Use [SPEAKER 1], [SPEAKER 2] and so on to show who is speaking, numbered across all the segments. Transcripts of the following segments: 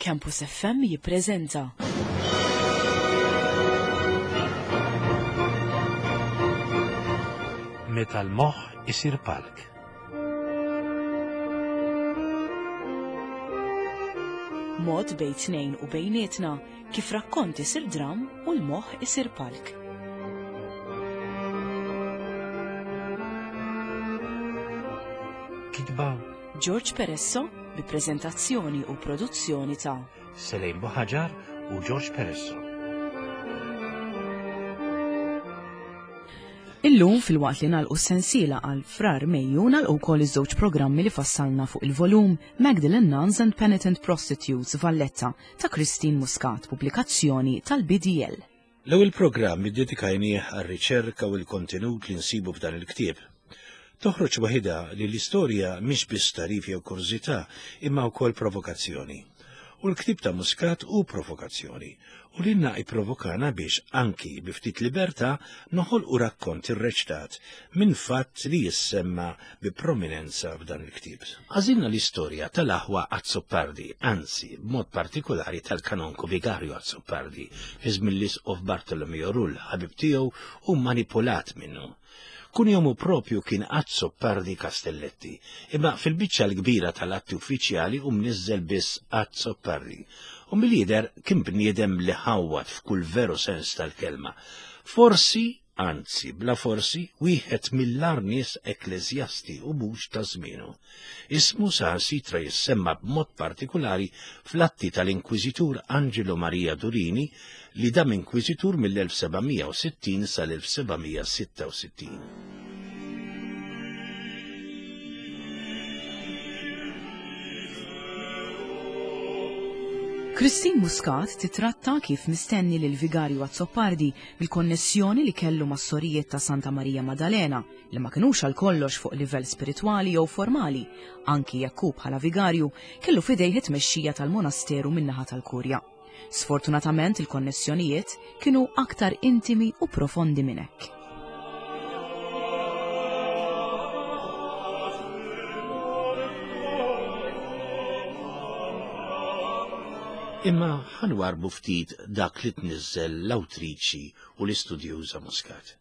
[SPEAKER 1] Campus FM jippreżenta.
[SPEAKER 2] Meta l-moħħ isir palk.
[SPEAKER 1] Mod bejn tnejn u bejnietna kif rakkont isir dram u l-moħħ isir palk.
[SPEAKER 2] Kitba
[SPEAKER 1] George Peresso bi preżentazzjoni u produzzjoni ta'
[SPEAKER 2] Selejn Buħaġar u George Peresso.
[SPEAKER 1] Illum filwaqt li nagħlqu s-sensiela għal Frar Mejju nagħlqu wkoll iż-żewġ programmi li fassalna fuq il-volum Magdalene Nuns and Penitent Prostitutes Valletta ta' Christine Muscat, pubblikazzjoni tal-BDL.
[SPEAKER 2] L-ewwel programm iddedikajnieh għar-riċerka u l-kontenut li nsibu f'dan il-ktieb. Toħroġ waħidha li l-istorja mhix biss tagħrif jew kurżità imma wkoll provokazzjoni. U l-ktieb ta' Muscat hu provokazzjoni u lilna ipprovokana biex anki bi ftit libertà noħolqu rakkont irreċtat minn fatt li jissemma bi prominenza f'dan il-ktieb. Għażilna l-istorja tal-aħwa Azzopardi, anzi, b'mod partikolari tal-kanonku vigarju Azzopardi, fi żmien l-isqof Bartolomeo Rull, ħabib tiegħu u manipulat minnu. Kunjomu propju kien Azzopardi Castelletti, imma fil-biċċa l-kbira tal-atti uffiċjali hu mniżżel biss Azzopardi. U mill-jidher kien bniedem li ħawwad f'kull veru sens tal-kelma. Forsi anzi, bla forsi, wieħed mill-agħar nies ekkleżjasti u mhux ta' żmienu. Ismu saħansitra jissemma b'mod partikulari fl-atti tal-Inkwiżitur Angelo Maria Durini li dam inkwiżitur mill-1760 sal-1766.
[SPEAKER 1] Christine Muscat titratta kif mistenni lil Vigarju Azzopardi bil-konnessjoni li kellu mas-sorijiet ta' Santa Marija Madalena li ma kinux għal kollox fuq livell spiritwali jew formali, anki jekk hu bħala vigarju kellu f'idejh it-tmexxija tal-monasteru min-naħa tal-Kurja. Sfortunatament il-konnessjonijiet kienu aktar intimi u profondi minn hekk.
[SPEAKER 2] Imma ħa nwarrbu ftit dak li tniżżel l-awtriċi u l-istudjuża Muscat.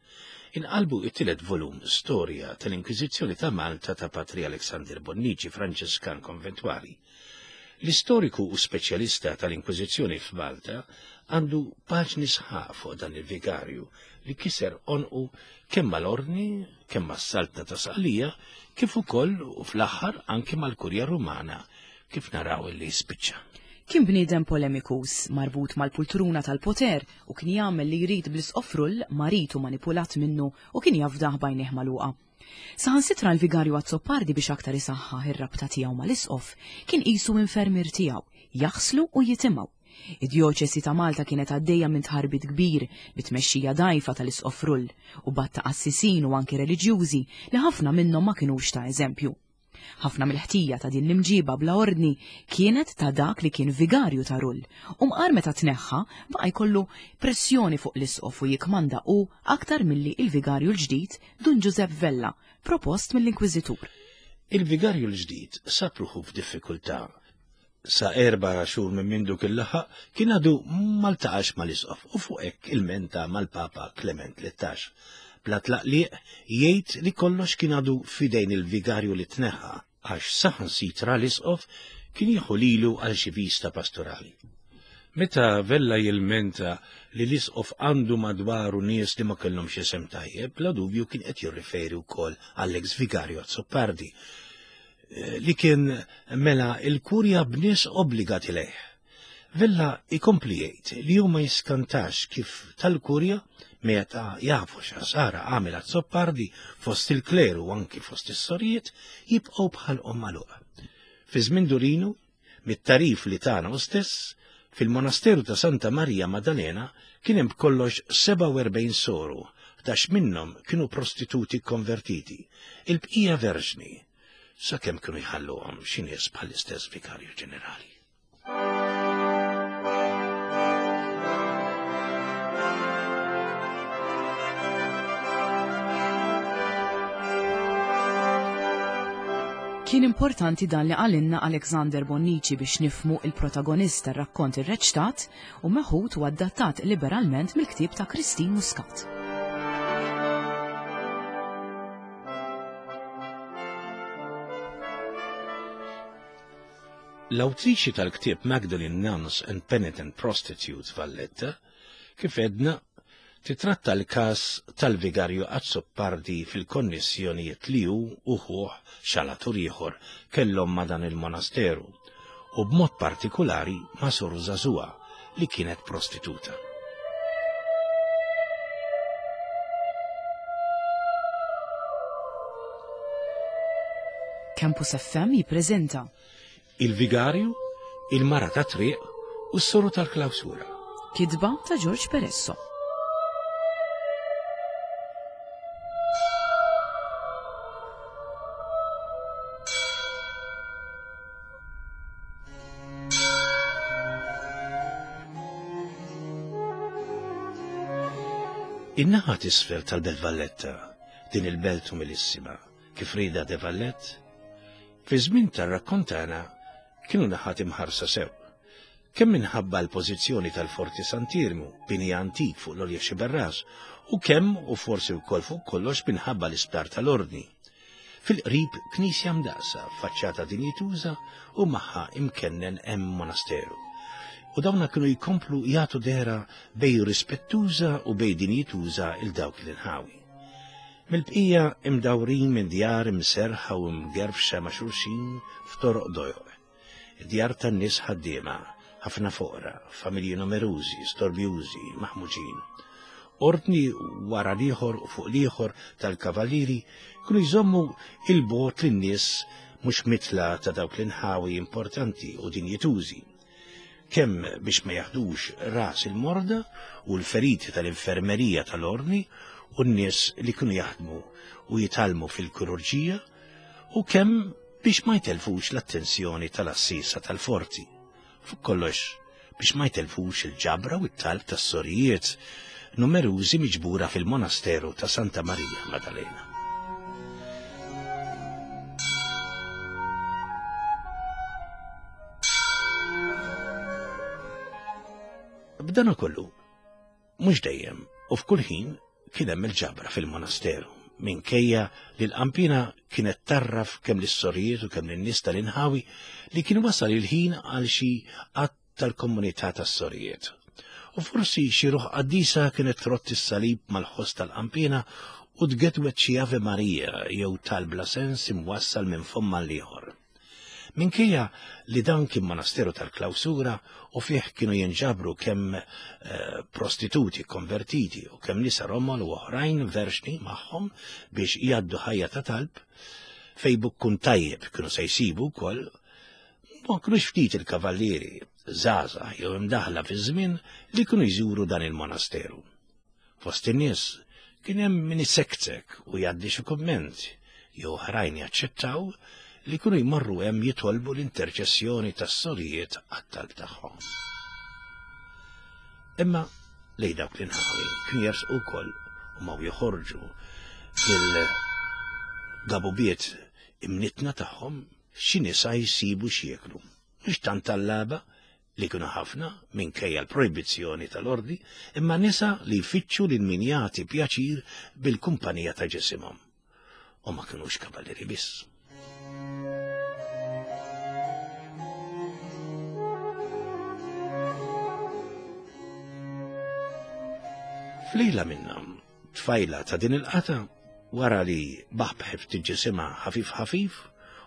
[SPEAKER 2] Inqalbu it-tielet volum Storja tal-Inkwiżizzjoni ta' Malta ta' Patri Alexander Bonnici, Franċiskan Konventwali. L-istoriku u speċjalista tal-Inkwiżizzjoni f'Malta għandu paġni sħaq fuq dan il-vigarju li kiser għonqu kemm mal-Ordni, kemm mas-Saltna ta' Sqallija, kif ukoll u fl-aħħar anki mal-Kurja Rumana, kif naraw illi spiċċa.
[SPEAKER 1] Kien bniedem polemikus, marbut mal-pultruna tal-poter u kien jagħmel li jrid bl-Isqof Rull, marid u manipulat minnu u kien jafdah b'għajnejh magħluqa. Saħansitra l-Vigarju Azzopardi biex aktar isaħħaħ ir-rabta tiegħu mal-Isqof, kien qisu infermier tiegħu, jaħslu u jitimgħu. Id-djoċesi ta' Malta kienet għaddejja minn tħarbit kbir bit-tmexxija dgħajfa tal-Isqof Rull u b'għadd ta' qassisin u anki reliġjużi li ħafna minnhom ma kinux ta' eżempju. Ħafna mill-ħtija ta' din l-imġiba bla ordni kienet ta' dak li kien vigarju ta' Rull u mqar meta tneħħa baqa' jkollu pressjoni fuq l-isqof u jikkmanda hu aktar milli il-vigarju l-ġdid Dun Ġużepp Vella, propost mill-Inkwiżitur.
[SPEAKER 2] Il-vigarju l-ġdid sab ruħu f'diffikultà Sa erba' xhur minn mindu kien laħaq, kien għadu ma ltaqax mal-isqof u fuq hekk ilmenta mal-Papa Klement Tlettax. Bla tlaqliq jgħid li kollox kien għadu f'idejn il-vigarju li tneħħa għax saħansitra l-isqof kien jieħu lilu għal xi vista pastorali. Meta Vella jilmenta li l-isqof għandu madwaru nies li ma kellhomx isem tajjeb, bla dubju kien qed jirriferi wkoll għall-eks vigarju Azzopardi li kien mela il-kurja b'nies obbligati lejh. Vella ikompli jgħid li hu ma jiskantax kif tal-kurja meta jafu x'ħsara għamel Azzopardi fost il-kleru u anki fost is-sorijiet jibqgħu bħalqhom magħluqa. Fi żmien Durinu, mit-tagħrif li tana hu stess, fil-monasteru ta' Santa Marija Madalena kien hemm b'kollox 47 soru, 11 minnhom kienu prostituti kkonvertiti, il-bqija verġni, sakemm kienu jħalluhom xi nies bħall-istess vikarju ġenerali.
[SPEAKER 1] Kien importanti dan li qalilna Alexander Bonnici biex nifhmu il-protagonist tar-rakkont irreċtat u meħud u adattat liberalment mill-ktieb ta' Christine Muscat.
[SPEAKER 2] L-awtriċi tal-ktieb Magdalene Nuns and Penitent Prostitutes Valletta, kif għedna, titratta l-każ tal-Vigarju Azzopardi fil-konnessjonijiet li hu u ħuh xalatur ieħor kellhom ma' dan il-monasteru u b'mod partikulari ma' soru żagħżugħa li kienet prostituta.
[SPEAKER 1] Campus FM jippreżenta
[SPEAKER 2] Il-Vigarju, il-Mara tat-Triq u s-Soru tal-Klawsura.
[SPEAKER 1] Kitba ta' George Peresso.
[SPEAKER 2] In-naħa t'isfel tal-Belt Valletta, din il-belt umilissima, kif rieda de Vallette, fi żmien tar-rakkont tagħna kienu naħat imħarsa sew. Kemm minħabba l-pożizzjoni tal-Forti Sant'Iermu, bini antik fuq l-għolja Xiberras, u kemm u forsi wkoll fuq kollox minħabba l-isptar tal-Ordni. Fil-qrib knisja mdaqsa, faċċata dinjituża u magħha imkennen hemm monasteru. U dawna kienu jkomplu jagħtu dehra bej rispettuża u bej dinjituża il dawk l-inħawi. Mill-bqija imdawrin minn djar imserrħa u mgerfxa ma' xulxin f'toroq dojoq. Djar tan-nies ħaddiema, ħafna foqra, familji numerużi, storbjużi, maħmuġin. Ordni wara l-ieħor u fuq l-ieħor tal-kavallieri kienu jżommu 'il bogħod lin-nies mhux mitla ta' dawk l-inħawi importanti u dinjitużi. kemm biex ma jaħdux ras il-morda u l-feriti tal-infermerija tal-ordni u n-nies li kienu jaħdmu u jitgħallmu fil-kirurġija u kemm biex ma jtelfux l-attenzjoni tal-għassiesa tal-forti. Fuq kollox, biex ma jtelfux il-ġabra u t-talb tas-sorijiet numerużi miġbura fil-monasteru ta' Santa Marija Madalena. B'dan kollu, mhux dejjem u f'kull ħin kien hemm il-ġabra fil-monasteru, minkejja li l-qampina kienet tarraf kemm lis-sorijiet u kemm lin-nies tal-inħawi li kien wasal il-ħin għal xi att tal-komunità tas-sorijiet. U forsi xi ruħ qaddisa kienet trott is-salib mal-ħoss tal-qampina u tgedwet xi Ave Maria jew talb bla sens imwassal minn fomm għall-ieħor. Minkejja li dan kien monasteru tal-klawsura u fih kienu jinġabru kemm eh, prostituti konvertiti u kemm nisa romol u oħrajn verxni magħhom biex jgħaddu ħajja ta' talb, fej bukkun tajjeb kienu se jsibu wkoll Ma kinux ftit il-kavallieri, żgħażagħ jew imdaħħla fiż-żmien li kienu jżuru dan il-monasteru. Fost in-nies kien hemm min isektek u jgħaddi xi kumment jew oħrajn jaċċettaw li kienu jmorru hemm jitolbu l-interċessjoni tas-sorijiet għat-talb tagħhom. Imma lejn dawk l-inħawi kienu jersqu wkoll u maw joħorġu il-gabubiet imnitna tagħhom xi nisa jsibu x'jieklu. Mhux tant tallaba, li kienu ħafna, minkejja l-projbizzjoni tal-Ordni, imma nisa li jfittxu lil min jagħti pjaċir bil-kumpanija ta' ġisimhom. U ma kinux kavallieri biss. F'lejla minnhom, Tfajla ta' din il-qatgħa, wara li baħbħet ftit ġisimha ħafif ħafif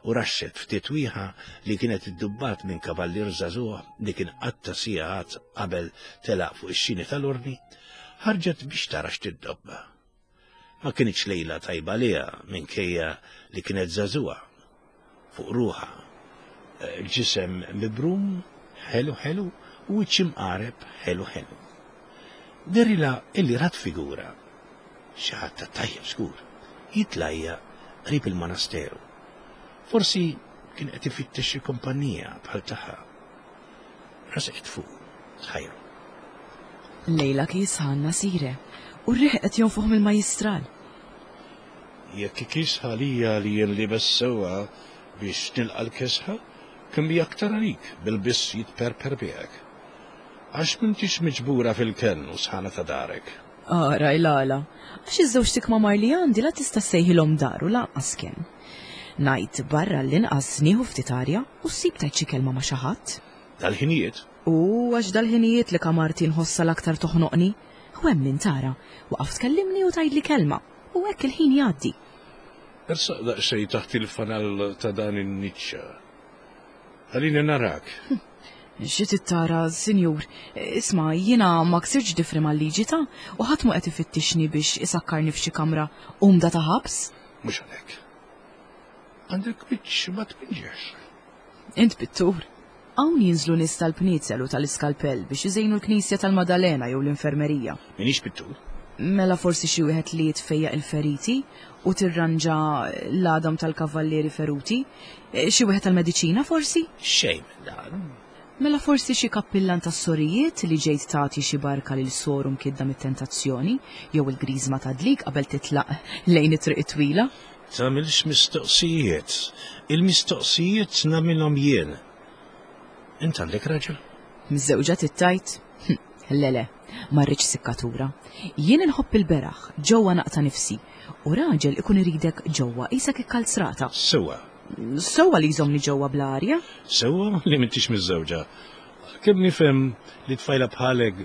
[SPEAKER 2] u raxxet ftit wieħa li kienet iddubbat minn kavallier żagħżugħ li kien qatta' sigħat qabel telaq fuq ix-xini tal-ordni, ħarġet biex tara x'tiddobba. Ma kinitx lejla tajba għaliha minkejja li kienet żagħżugħa. Fuq ruħha ġisem mibrum ħelu ħelu u wiċċ imqareb ħelu ħelu. Dehrilha illi rat figura, xi ħadd tat-tajjeb żgur, jitlajja qrib il-monasteru. Forsi kien qed ifittex xi kumpanija bħal tagħha. Resqet fuqu, tħajru.
[SPEAKER 1] Lejla kiesħa għandna sire, u r-riħ qed jonfoħ mill-majjistral.
[SPEAKER 2] Jekk ikis għalija li jien liebes sewwa, biex nilqa' l-kesħa, kemm hija aktar għalik bil-biss jitperper miegħek. Għax m'intix miġbura fil-kenn u sħana ta' darek.
[SPEAKER 1] Ara il-għala, għax iż-żewġt ikmamar li għandi la tista' ssejħilhom dar u lanqas kenn. Ngħid barra l-inqas nieħu ftit arja u ssib tgħid xi kelma ma' xi ħadd.
[SPEAKER 2] Dal-ħinijiet?
[SPEAKER 1] U għax dal-ħinijiet li kamarti nħossha l-aktar toħnoqni. U hemm min tara, waqaf tkellimni u tgħidli kelma, u hekk il-ħin jgħaddi.
[SPEAKER 2] Ersaq daqsxejn taħt il-fanal ta' dan in-niċċa. Ħallini narak.
[SPEAKER 1] Xi trid tara, sinjur? Isma', jiena ma ksirtx difri mal-liġi ta' u ħadd mhu qed ifittixni biex isakkarni f'xi kamra umda ta' ħabs.
[SPEAKER 2] Mhux għalhekk. Għandek wiċċ ma tpinġex.
[SPEAKER 1] Int pittur. Hawn jinżlu nies tal-pniezel u tal-iskalpell biex iżejnu l-knisja tal-Madalena jew l-infermerija.
[SPEAKER 2] M'iniex pittur.
[SPEAKER 1] Mela forsi xi wieħed li jitfejjaq il-feriti u tirranġa l-għadam tal-kavallieri feruti? Xi wieħed tal-mediċina forsi?
[SPEAKER 2] Xejn minn dan.
[SPEAKER 1] Mela forsi xi kappillan tas-sorijiet li ġejt tagħti xi barka lil soru mkidda mit-tentazzjoni jew il-griżma tad-dlik qabel titlaq lejn it-triq it-twila?
[SPEAKER 2] Tagħmilx mistoqsijiet. Il-mistoqsijiet nagħmilhom jien. Int għandek raġel?
[SPEAKER 1] Miżżewġa trid tgħid? Le le, ma rridx sikkatura. Jien inħobb il-beraħ, ġewwa naqta' nifsi, u raġel ikun iridek ġewwa qisek ikkalzrata.
[SPEAKER 2] Sewwa.
[SPEAKER 1] Sewwa li jżommni ġewwa bla arja?
[SPEAKER 2] Sewwa li m'intix miżżewġa. Għalkemm nifhem li tfajla bħalek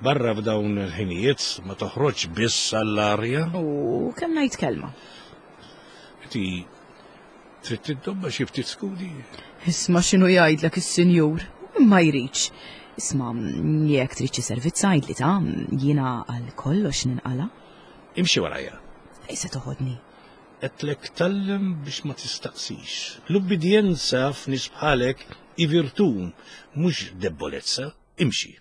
[SPEAKER 2] barra f'dawn il-ħinijiet ma toħroġx biss għall-arja.
[SPEAKER 1] U kemm ngħid kelma.
[SPEAKER 2] Inti Trid tiddobba xi ftit skudi?
[SPEAKER 1] Isma' x'inhu jgħidlek is-sinjur, ma jridx. Isma' jekk trid xi servizz għidli ta' jiena għal kollox ninqala.
[SPEAKER 2] Imxi warajja.
[SPEAKER 1] Fejn se toħodni?
[SPEAKER 2] Qedtlek tgħallem biex ma tistaqsix. L-ubbidjenza f'nies bħalek hi virtù, mhux debbolezza. Imxi.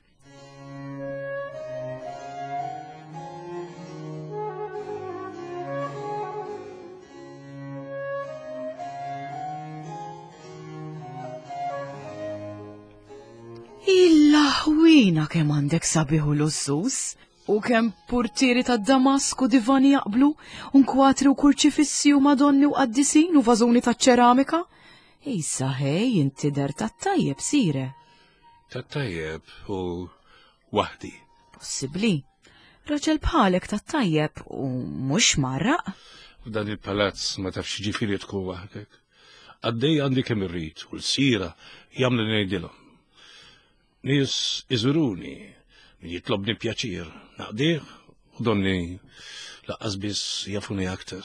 [SPEAKER 1] Il-laħwina kemm għandek sabiħ u lussus, u kemm purtieri ta' Damasku divani jaqblu, u nkwatri u kurċifissi u madonni u qaddisin u vażuni ta' ċeramika. Issa ħej, inti der ta' tajjeb sire.
[SPEAKER 2] Tat-tajjeb u waħdi.
[SPEAKER 1] Possibbli. Raġel bħalek tat-tajjeb u mhux marraq.
[SPEAKER 2] F'dan il-palazz ma tafx ġifieri tkun waħdek. Għaddej għandi kemm irrid u l-sira jagħmlu ngħidilhom. Nies iżuruni, min jitlobni pjaċir, naqdih u donni laqqas biss jafuni aktar.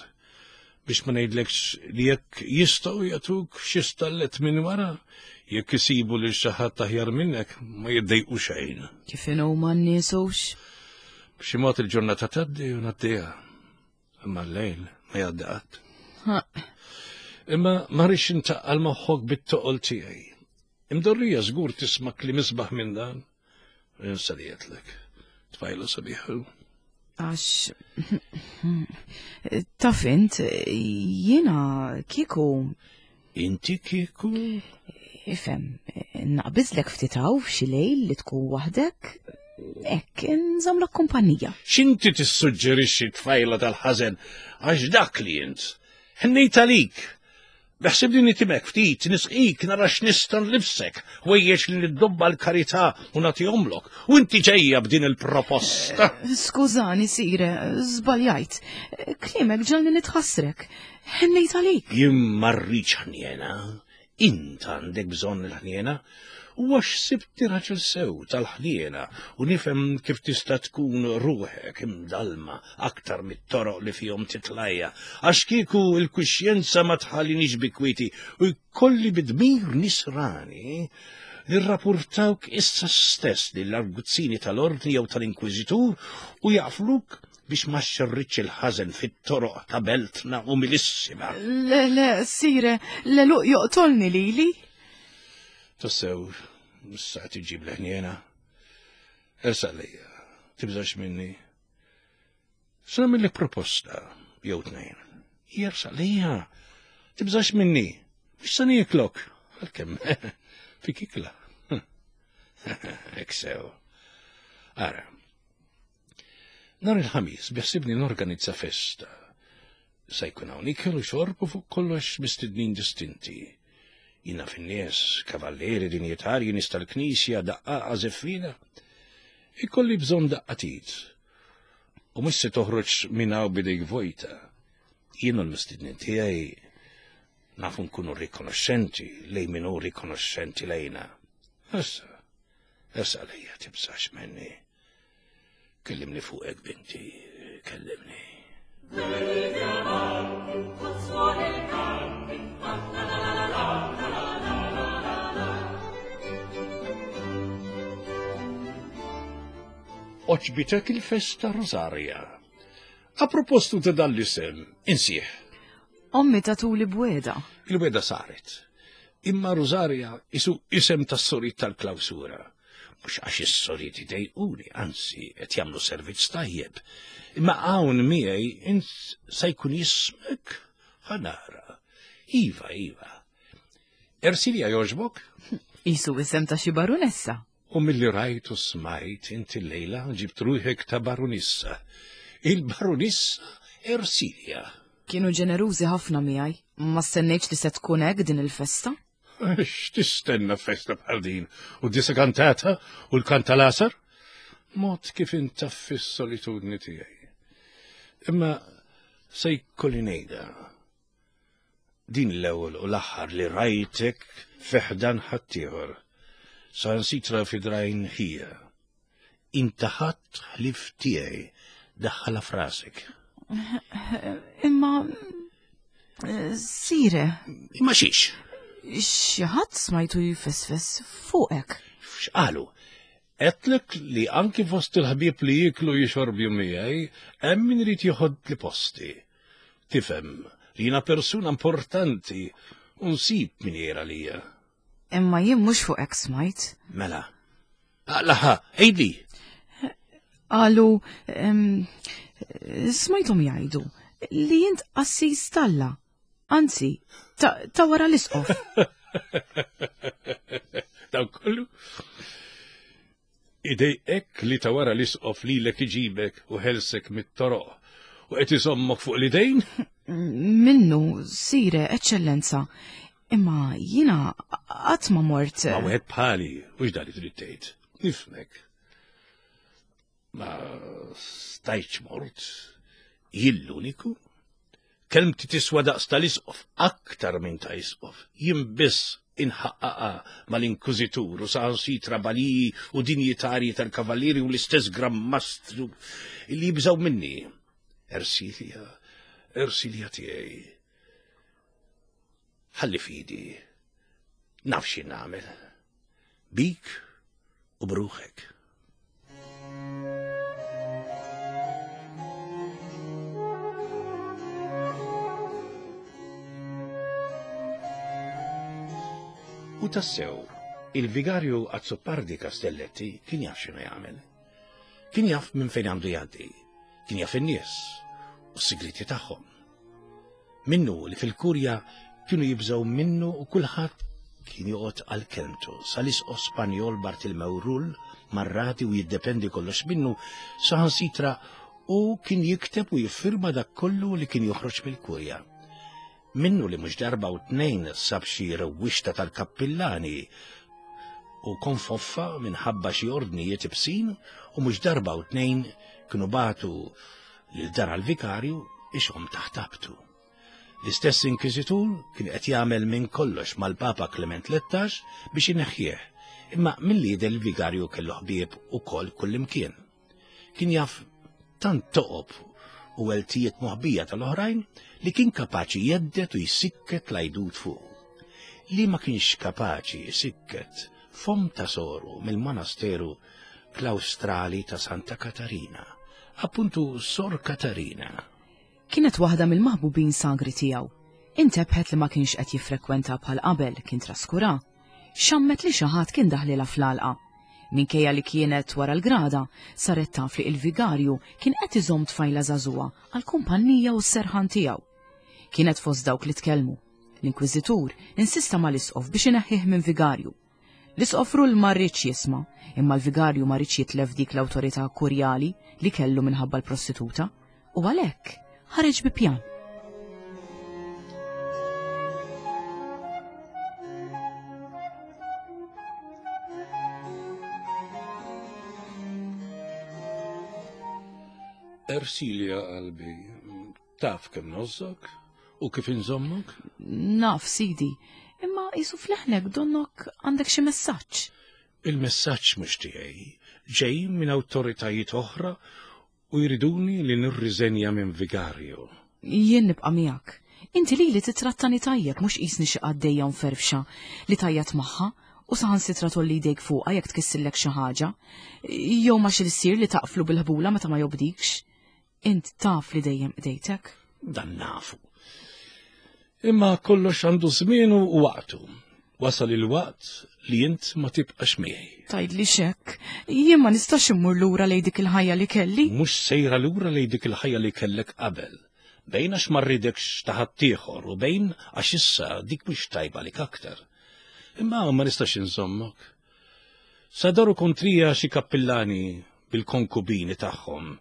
[SPEAKER 2] Biex ma ngħidlekx li jekk jistgħu jagħtuk xi stallet minn wara, jekk isibu lil xi ħadd aħjar minnek ma jiddejqu xejn.
[SPEAKER 1] Kif inhuma n-nies hux?
[SPEAKER 2] B'xi mod il-ġurnata tgħaddi u ngħaddiha. Imma l-lejl ma jgħaddi qatt. Imma ma rridx intaqqal moħħok bit-toqol tiegħi. Imdorrija żgur tisma' kliem isbaħ minn dan. Insa li għedtlek. Tfajla sabiħa.
[SPEAKER 1] Għax taf int jiena kieku.
[SPEAKER 2] Inti kieku?
[SPEAKER 1] Ifhem, naqbiżlek ftit hawn f'xi lejl li tkun waħdek, hekk nżommlok kumpanija.
[SPEAKER 2] X'inti tissuġġerixxi tfajla tal-ħażen għax dak li int. Ħnejt għalik. Beħsibni nitimek ftit, nisqik, nara x'nista' nlibsek, ħwejjeġ li niddobba l-karità u nagħtihomlok, u inti ġejja b'din il-proposta.
[SPEAKER 1] Skużani, sire, żbaljajt. Kliemek ġalni nitħassrek. Ħennejt għalik.
[SPEAKER 2] Jien ma rridx ħniena. Int għandek bżonn il-ħniena. U għax sibtni raġel sew tal-ħniena u nifhem kif tista' tkun ruħek imdallma aktar mit-toroq li fihom titlajja, għax kieku l-kuxjenza ma tħallinix bi kwieti u jkolli bi dmir nisrani nirrapurtawk issa stess lill-arguzzini tal-Ordni jew tal-Inkwiżitur u jaqfluk biex ma xxerridx il-ħażen fit-toroq ta' beltna umilissima.
[SPEAKER 1] Le, le, sire, l-għeluq joqtolni lili.
[SPEAKER 2] Tassew, issa qed iġġib l-ħniena. Ersaq lejja, tibżax minni. Se nagħmillek proposta jew tnejn. Jersaq lejja, tibżax minni. Mhux se nieklok, għalkemm fik ikla. Hekk sew. Ara. Nhar il-Ħamis biħsibni norganizza festa. Se jkun hawn ikel u xorb u fuq kollox mistednin distinti. Jina fin-nies, kavallieri, dinjitarji, nies tal-knisja, daqqaqa, żeffina. Ikolli bżonn daqqatit. U mhux se toħroġ minn hawn bidejk vojta. Jien u l-mistednin tiegħi nafu nkunu rikonoxxenti lejn min hu rikonoxxenti lejna. Issa, issa lejja tibżax minni. Kellimni fuqek, binti, kellimni. Oċbitek il-festa Rosaria. A propostu ta' dan l-isem, insieħ.
[SPEAKER 1] Ommi tatuli bweda.
[SPEAKER 2] Il-weda saret. Imma Rosaria isu isem tas-sorit tal-klawsura. Mhux għax is-soriet idejquni, anzi qed jagħmlu servizz tajjeb. Imma hawn miegħi int se jkun jismek ħanara. Iva, iva. Ersilja jogħġbok?
[SPEAKER 1] Isu isem ta' xi barunessa.
[SPEAKER 2] U milli rajt u smajt inti lejla ġibt ruħek ta' barunissa. Il-barunissa Ersilja.
[SPEAKER 1] Kienu ġenerużi ħafna miegħi. Ma stennejtx li se tkun hekk din il-festa.
[SPEAKER 2] X'tistenna festa bħal din? U disa kantata u l-kantalasar? Mod kif intaffi s-solitudni tiegħi. Imma se jkolli ngħidha. Din l-ewwel u l-aħħar li rajtek fiħdan ħaddieħor. Sansitra fi drajn ħija. Inta ħadd ħlief tiegħi daħħala frasek.
[SPEAKER 1] Imma sire.
[SPEAKER 2] Imma xiex?
[SPEAKER 1] Xi ħadd smajtu jfesfes fuqek.
[SPEAKER 2] X'qalu? Għedtlek li anki fost il-ħbieb li jieklu jixorbju miegħi hemm min irid jieħod li posti. Tifhem li jiena persuna importanti u nsib min jgħir għalija.
[SPEAKER 1] Imma jien mhux fuqek smajt.
[SPEAKER 2] Mela. Aqlaħa, għidli.
[SPEAKER 1] Qalu, smajthom jgħidu li jint qassis talla. Anzi, ta' wara l-isqof.
[SPEAKER 2] Daw kollu. Idejqek li ta' wara l-isqof lilek iġibek u ħelsek mit-toroq u qed iżommok fuq l-idejn?
[SPEAKER 1] Minnu, sire, eċċellenza. Imma jina qatt ma mort.
[SPEAKER 2] Ma wieħed bħali, u x'dan li trid tgħid. Nifhmek. Ma stajtx mort, jien l-uniku. Kelmti tiswa daqs tal-isqof, aktar minn ta' isqof. Jien biss inħaqqaqa mal-inkużitur u saħansitra baliji u dinjitarji tal-kavallieri u l-istess Gran Mastru li jibżgħu minni. Ersilja, Ersilja tiegħi. Ħalli fidi, naf xi nagħmel. Bik u bruħek. U tassew, il-vigarju Azzopardi Castelletti kien jaf x'inhu jagħmel. Kien jaf minn fejn għandu jgħaddi, kien jaf in-nies u s-sigriti tagħhom. Minnu li fil-kurja kienu jibżgħu minnu u kulħadd kien joqgħod għal kelmtu. Sal-isqof Spanjol Bartilmew Rull marrati u jiddependi kollox minnu saħansitra u kien jikteb u jiffirma dak kollu li kien joħroġ mill-kurja. Minnu li mhux darba u tnejn sab xi rewwixta tal-kappillani u konfoffa minħabba xi ordnijiet ibsin u mhux darba u tnejn kienu bagħtu lil dan għall-vikarju ixhom taħt abtu. L-istess inkwiżitur kien qed jagħmel minn kollox mal-Papa Klement Lettax biex ineħħih, imma milli jidher il-vigarju kellu ħbieb ukoll kullimkien. Kien jaf tant toqob u eltijiet moħbija tal-oħrajn li kien kapaċi jeddet u jsikket l-għajdut fuq. Li ma kienx kapaċi jsikket fom ta' soru mill-monasteru klawstrali ta' Santa Katarina, appuntu Sor Katarina.
[SPEAKER 1] Kienet waħda mill-maħbubin sagri tiegħu. Intebħet li ma kienx qed jiffrekwenta bħal qabel, kien traskura. Xammet li xi ħadd kien daħlilha fl-għalqa. Minkejja li kienet wara l-grada, saret taf li il-vigarju kien qed iżomm tfajla żagħżugħa għall-kumpannija u s-serħan tiegħu. Kienet fost dawk li tkellmu. L-Inkwiżitur insista mal-Isqof biex ineħħih minn vigarju. L-Isqof Rull ma riedx jisma', imma l-vigarju ma riedx jitlef dik l-awtorità kurjali li kellu minħabba l-prostituta, u għalhekk ħareġ bi pjan.
[SPEAKER 2] Ersilja qalbi, taf kemm nożżok u kif inżommok?
[SPEAKER 1] Naf, sidi, imma jisu fleħnek donnok għandek xi messaġġ.
[SPEAKER 2] Il-messaġġ mhux tiegħi, ġej minn awtoritajiet oħra u jriduni li nirriżenja minn vigarju.
[SPEAKER 1] Jien nibqa' miegħek. Inti lili titrattani tajjeb mhux qisni xi qaddejja mferfxa li tgħajjat magħha u saħansitra tgħolli jdejk fuqha jekk tkissillek xi ħaġa, jew ma xi lsir li taqflu bil-ħbula meta ma jobdikx. Int taf li dejjem qdejtek.
[SPEAKER 2] Dan nafu. Imma kollox għandu żmienu u waqtu. Wasal il-waqt li int ma tibqax miegħi.
[SPEAKER 1] Tgħidli xekk, jien ma nistax immur lura lejn dik il-ħajja li kelli.
[SPEAKER 2] Mhux sejra lura lejn dik il-ħajja li kellek qabel. Bejn għax ma rridekx ta' ħaddieħor u bejn għax issa dik mhux tajba lik aktar. Imma ma nistax inżommok. Sadaru kontrija xi kappillani bil-konkubini tagħhom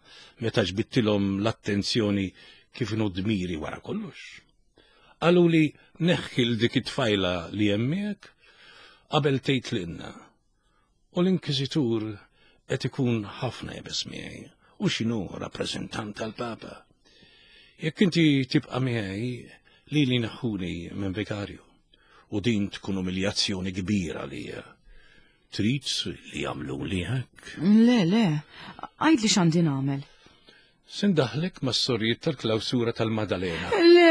[SPEAKER 2] meta ġbidtilhom l-attenzjoni kif inhu dmiri wara kollox. Qaluli neħħi l dik it-tfajla li hemm miegħek qabel tgħid lilna. U l-Inkwiżitur qed ikun ħafna iebes miegħi u x'inhu rappreżentant tal-Papa. Jekk inti tibqa' miegħi lili neħħuni minn vikarju u din tkun umiljazzjoni kbira lija. Trid li jagħmluli hekk?
[SPEAKER 1] Le, le, għidli x'għandi nagħmel.
[SPEAKER 2] Se ndaħħlek mas-sorijiet tal-klawsura tal-Madalena.
[SPEAKER 1] Le,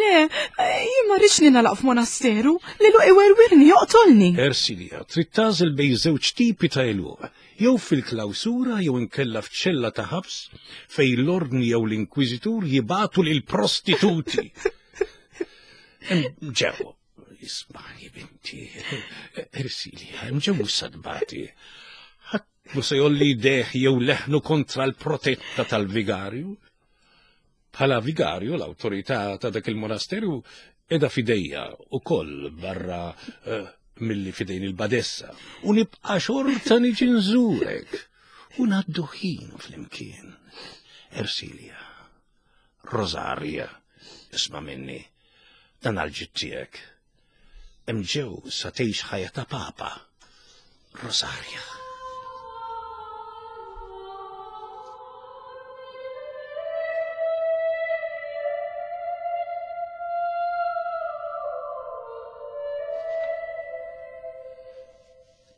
[SPEAKER 1] le, jien ma rridx ningħalaq f'monasteru, l-għeluq iwerwirni, joqtolni.
[SPEAKER 2] Ersilia, trid tagħżel bejn żewġ tipi ta' għeluq, jew fil-klawsura jew inkella f'ċella ta' ħabs fejn l-ordni jew l-inkwiżitur jibagħtu lill-prostituti. Ġew, ismani binti, Ersilia, ġew sadbati. Mhu se jgħolli jdejh jew leħnu kontra l-protetta tal-vigarju. Bħala vigarju l-awtorità ta' dak il-monasteru qiegħda f'idejja ukoll barra eh, milli f'idejn il-badessa. U nibqa' xorta niġi nżurek u ngħaddu ħin flimkien. Ersilja, Rosaria, isma' minni, dan għal-ġid tiegħek. Hemm ġew sa tgħix ħajja ta' papa. Rosaria.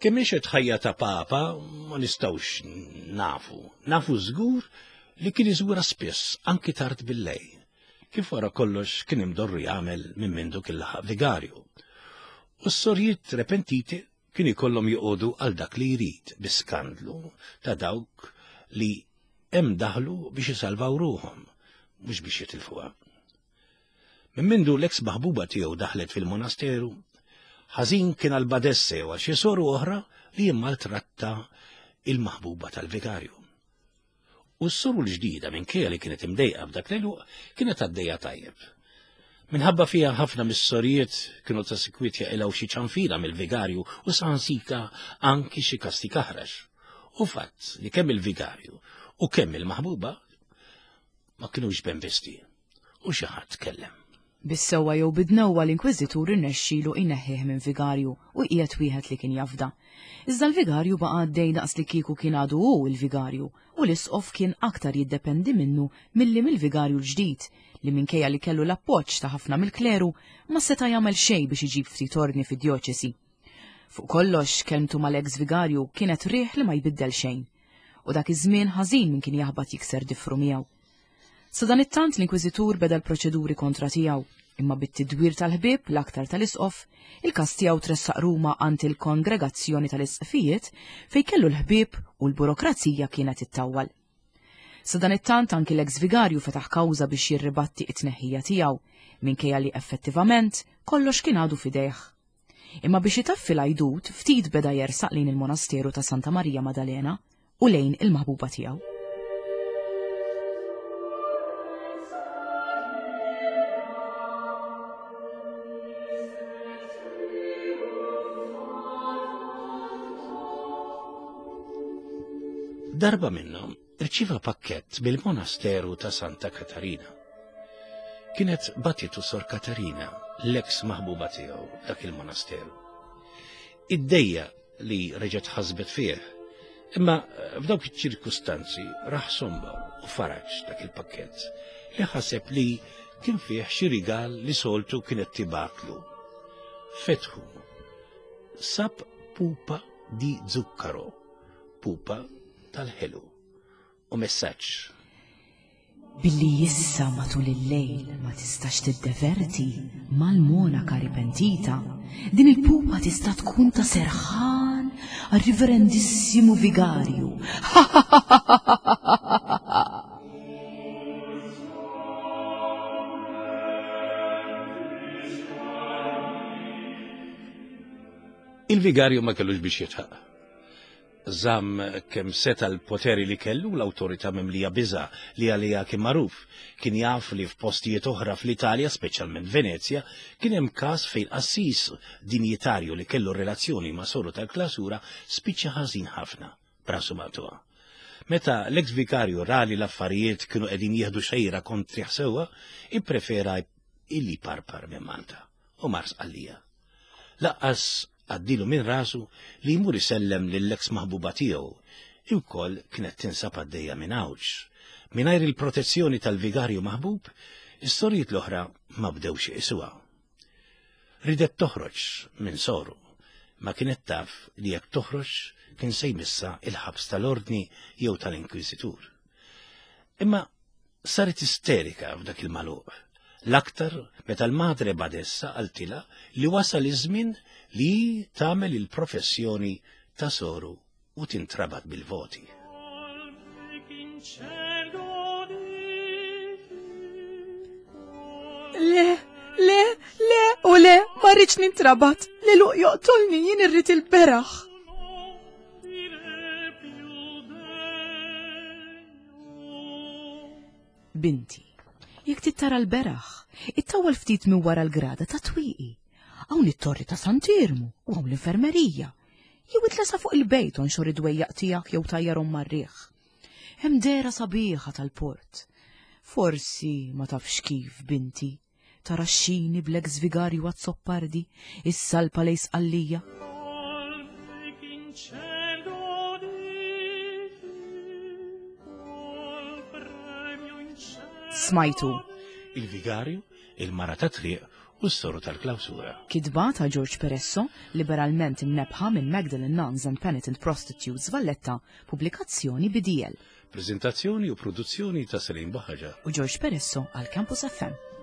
[SPEAKER 2] Kemm għexet ħajja ta' papa ma nistgħux nafu. Nafu żgur li kien iżura spiss anki tard bil-lejl. Kif wara kollox kien imdorri jagħmel minn mindu kien laħaq vigarju. U s-sorjiet repentiti kien ikollhom joqogħdu għal dak li jrid bi skandlu ta' dawk li hemm daħlu biex isalvaw ruħhom, mhux biex jitilfuha. Minn mindu l-eks maħbuba tiegħu daħlet fil-monasteru, ħażin kien għal badesse u għal xi soru oħra li jimmaltratta il-maħbuba tal-vigarju. U s-soru l-ġdida minkejja li kienet imdejqa b'dak l-għeluq kienet għaddejja tajjeb. Minħabba fiha ħafna mis-sorijiet kienu ta' sikwit jaqilgħu xi ċanfira mill-vigarju u saħansita anki xi kastig aħrax. U fatt li kemm il-vigarju u kemm il-maħbuba ma kinux benvisti u xi ħadd tkellem.
[SPEAKER 1] Bis-sewwa jew bid-dnewwa l-Inkwiżitur irnexxielu jneħħih minn vigarju u jqiegħed wieħed li kien jafda. Iżda l-vigarju baqa' għaddej daqs li kieku kien għadu hu l-vigarju u l-isqof kien aktar jiddependi minnu milli mill-vigarju l-ġdid li minkejja li kellu l-appoġġ ta' ħafna mill-kleru ma seta' jagħmel xejn biex iġib ftit ordni fid-djoċesi. Fuq kollox, kelmtu mal-eks vigarju kienet riħ li ma jbiddel xejn. U dak iż-żmien ħażin min kien jaħbat jikser difru miegħu. Sadanittant l-Inkwiżitur beda l-proċeduri kontra tiegħu, imma bit-tidwir tal-ħbieb l-aktar tal-Isqof, il-każ tiegħu tressaq Ruma għand il-Kongregazzjoni tal-Isqfijiet fejn kellu l-ħbieb u l-burokrazija kienet ittawwal. Sadanittant anki l-eks vigarju fetaħ kawża biex jirribatti t-tneħħija tiegħu, minkejja li effettivament kollox kien għadu f'idejh. Imma biex itaffi l-għajdut ftit beda jersaq lejn il-monasteru ta' Santa Marija Madalena u lejn il-maħbuba tiegħu.
[SPEAKER 2] Darba minnhom Irċieva pakkett mill-monasteru ta' Santa Katarina. Kienet batitu Sor Katarina, l-eks maħbuba tiegħu dak il-monasteru. Iddejja li reġgħet ħasbet fih, Imma f'dawk iċ-ċirkustanzi raħ somma u faraġ dak il-pakkett li ħaseb li kien fih xi rigal li soltu kienet tibgħatlu. Fetħu. Sab pupa di zuccaro, pupa tal-ħelu u messaġġ.
[SPEAKER 1] Billi issa matul il-lejl ma tistax tiddeverti mal-monaka ripentita, din il-pupa tista' tkun ta' serħan għar-Riverendissimu Vigarju.
[SPEAKER 2] Il-vigarju ma kellux biex jitħaq. Żamm kemm seta' l-poteri li kellu u l-awtorità mimlija biża' li għaliha kien magħruf. Kien jaf li f'postijiet oħra fl-Italja, speċjalment Venezja, kien hemm każ fejn qassis dinjitarju li kellu relazzjoni ma' soru tal-klasura spiċċa ħażin ħafna, b'rasu maqtugħa. Meta l-eks vikarju ra li l-affarijiet kienu qegħdin jieħdu xejra kontrih sewwa, ipprefera illi jparpar minn Malta u mar Sqallija. Laqqas għaddilu minn rasu li jmur isellem lill-eks maħbuba tiegħu, li wkoll kienet tinsab għaddejja minn Għawdx. Mingħajr il-protezzjoni tal-vigarju maħbub, is-sorijiet l-oħra ma bdewx iqisuha. Ridet toħroġ minn soru, ma kienet taf li jekk toħroġ kien se jmissha il-ħabs tal-ordni jew tal-inkwiżitur. Imma Saret isterika f'dak il-magħluq, l-aktar meta l-Madre Badessa qaltilha li wasal iż-żmien li hi tagħmel il-professjoni ta' soru u tintrabat bil-voti.
[SPEAKER 1] Le, le, le, u le, ma rridx nintrabat, li luq joqtolni jien irrid il-beraħ. Binti, jekk trid tara l-beraħ, ittawwal ftit minn wara l-grada ta' twieqi. Hawn it-torri ta' Sant'Iermu u hawn l-infermerija. Jew itla' sa fuq il-bejt onxor id-dwejjaq tiegħek jew tajjarhom mar-riħ. Hemm dehra sabiħa tal-port. Forsi ma tafx kif, binti, Tara x-xini bl-eks vigarju Azzopardi issalpa lejn Sqallija. Smajtu.
[SPEAKER 2] Il-vigarju, il-mara ta' triq u s-soru tal-klawsura.
[SPEAKER 1] Kitba ta' George Peresso, liberalment imnebbħa minn Magdalene Nuns and Penitent Prostitutes Valletta, pubblikazzjoni BDL.
[SPEAKER 2] Preżentazzjoni u produzzjoni ta' Celine Buhaġar.
[SPEAKER 1] U George Peresso għal Campus FM.